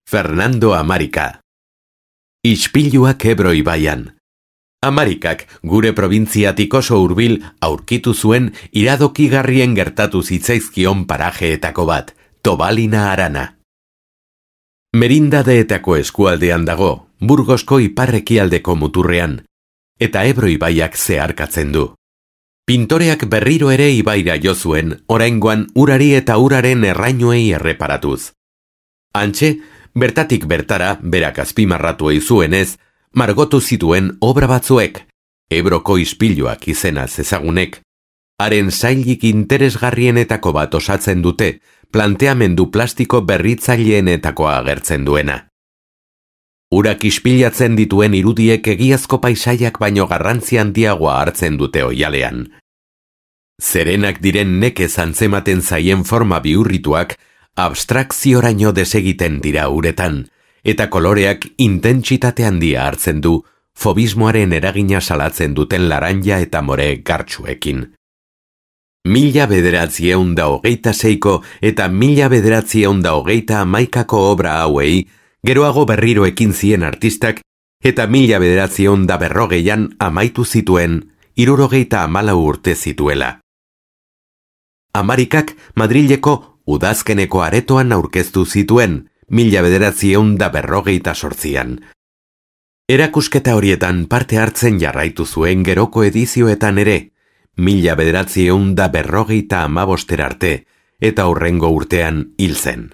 Fernando Amarika. Ispiluak Ebro ibaian. Amarikak gure probintziatik oso hurbil aurkitu zuen iradokigarrien gertatu zitzaizkion parajeetako bat, Tobalina Arana. Merindadeetako eskualdean dago, Burgosko iparrekialdeko muturrean, eta Ebro ibaiak zeharkatzen du. Pintoreak berriro ere ibaira jo zuen, oraingoan urari eta uraren errainuei erreparatuz. Hantxe, bertatik bertara, berak azpimarratu zuenez, margotu zituen obra batzuek, Ebroko ispiluak izenaz ezagunek, haren sailik interesgarrienetako bat osatzen dute, planteamendu plastiko berritzaileenetakoa agertzen duena. Urak ispilatzen dituen irudiek egiazko paisaiak baino garrantzi handiagoa hartzen dute oialean. Zerenak diren nekez antzematen zaien forma bihurrituak, abstrakzioraino desegiten dira uretan, eta koloreak intentsitate handia hartzen du, fobismoaren eragina salatzen duten laranja eta more gartsuekin. 1926ko eta 1929ko obra hauei, geroago berriro ekin zien artistak, eta 1940an amaitu zituen, 74 urte zituela. Amarikak Madrileko udazkeneko aretoan aurkeztu zituen, 1948an. Erakusketa horietan parte hartzen jarraitu zuen geroko edizioetan ere, 1945 arte, eta hurrengo urtean hil zen.